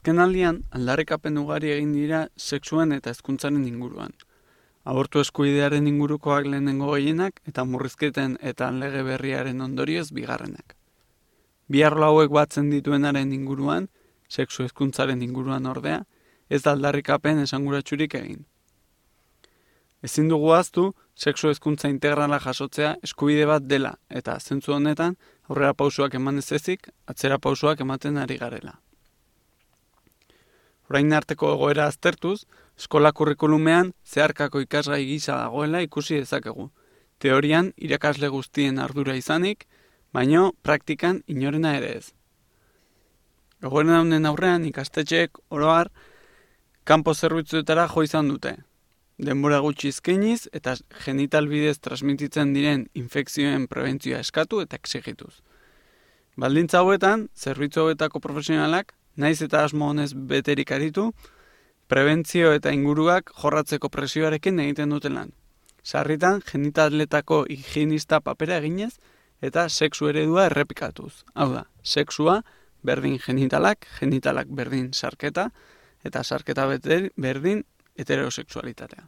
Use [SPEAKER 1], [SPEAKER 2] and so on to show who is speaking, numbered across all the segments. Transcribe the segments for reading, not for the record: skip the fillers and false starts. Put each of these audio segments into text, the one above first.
[SPEAKER 1] Azkenaldian, aldarrikapen ugari egin dira sexuen eta hezkuntzaren inguruan. Abortu eskubidearen ingurukoak lehenengo gehienak eta murrizketen eta lege berriaren ondorioz bigarrenak. Bi arlo hauek batzen dituenaren inguruan, sexu hezkuntzaren inguruan ordea, ez da aldarrikapen esanguratsurik egin. Ezin dugu ahaztu, sexu hezkuntza integrala jasotzea eskubide bat dela eta zentzu honetan aurrera pausoak eman ez ezik, atzera pausoak ematen ari garela. Orain arteko egoera aztertuz, eskola kurrikulumean zeharkako ikasgai gisa dagoela ikusi dezakegu. Teorian irakasle guztien ardura izanik, baino praktikan inorena ere ez. Egoera honen aurrean ikastetxeek oro har kanpo zerbitzuetara jo izan dute. Denbora gutxi eskainiz eta genital bidez transmititzen diren infekzioen prebentzioa eskatu eta exigituz. Baldintza hauetan, zerbitzu hauetako profesionalak naiz eta asmo honez beterik aritu, prebentzio eta inguruak jorratzeko presioarekin egiten duten lan. Sarritan, genitaletako higienista papera eginez eta sexu eredua errepikatuz. Hau da, sexua berdin genitalak, genitalak berdin sarketa, eta sarketa berdin heterosexualitatea.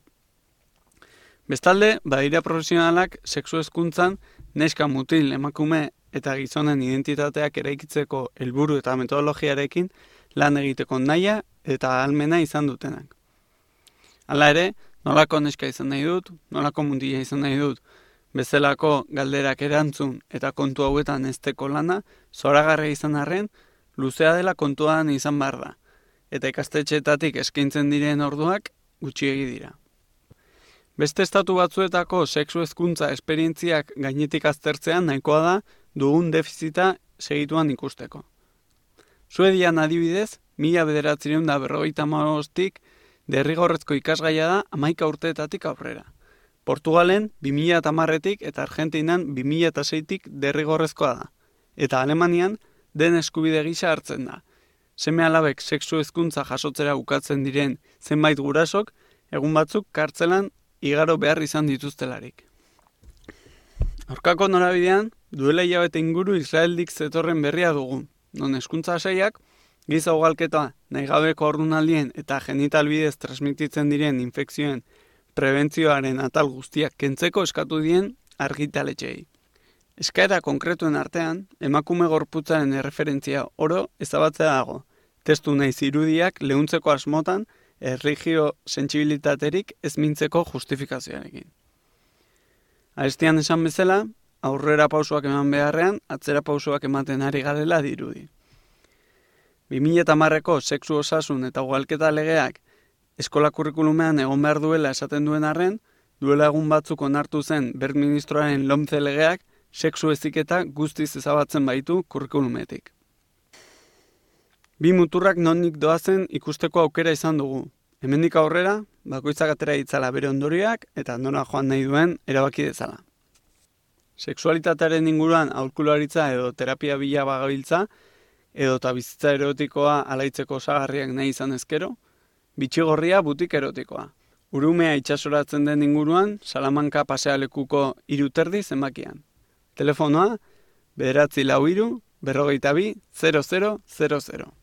[SPEAKER 1] Bestalde, badira profesionalak sexu hezkuntzan neska, mutil, emakume eta gizonen identitateak eraikitzeko helburu eta metodologiarekin lan egiteko nahia eta ahalmena izan dutenak. Hala ere, nolako neska izan nahi dut, nolako mutila izan nahi dut, bezalako galderak erantzun eta kontu hauetan ezteko lana, zoragarria izan arren, luzea dela kontuan izan behar da, eta ikastetxeetatik eskaintzen diren orduak gutxiegi dira. Beste estatu batzuetako sexu hezkuntza esperientziak gainetik aztertzean nahikoa da dugun defizita segituan ikusteko. Suedian adibidez, 1995tik derrigorrezko ikasgaia da 11 urteetatik aurrera. Portugalen 2010tik eta Argentinan 2006tik derrigorrezkoa da. Eta Alemanian den eskubide gisa hartzen da. Seme-alabek sexu hezkuntza jasotzera ukatzen diren zenbait gurasok, egun batzuk kartzelan igaro behar izan dituztelarik. Aurkako norabidean, duela hilabete inguru Israeldik zetorren berria dugu, non hezkuntza sailak, giza ugalketa, nahigabeko haurdunaldien eta genital bidez transmititzen diren infekzioen prebentzioaren atal guztiak kentzeko eskatu dien argitaletxeei. Eskaera konkretuen artean, emakume gorputzaren erreferentzia oro ezabatzea dago, testu naiz irudiak leuntzeko asmotan erligio sentsibilitaterik ez mintzeko justifikazioarekin. Arestian esan bezala, aurrera pausoak eman beharrean, atzera pausoak ematen ari garela dirudi. 2010ko sexu osasun eta ugalketa legeak eskola kurrikulumean egon behar duela esaten duen arren, duela egun batzuk onartu zen Bert ministroaren LOMCE legeak sexu heziketa guztiz ezabatzen baitu kurrikulumetik. Bi muturrak nondik doazen ikusteko aukera izan dugu. Hemendik aurrera, bakoitzak atera ditzala bere ondorioak eta nora joan nahi duen erabaki dezala. Sexualitatearen inguruan aholkularitza edo terapia bila bagabiltza, edota bizitza erotikoa alaitzeko osagarriak nahi izan ezkero, bitxigorria butik erotikoa. Urumea itsasoratzen den inguruan, Salamanca pasealekuko 3:30 zenbakian. Telefonoa 943 42 0000.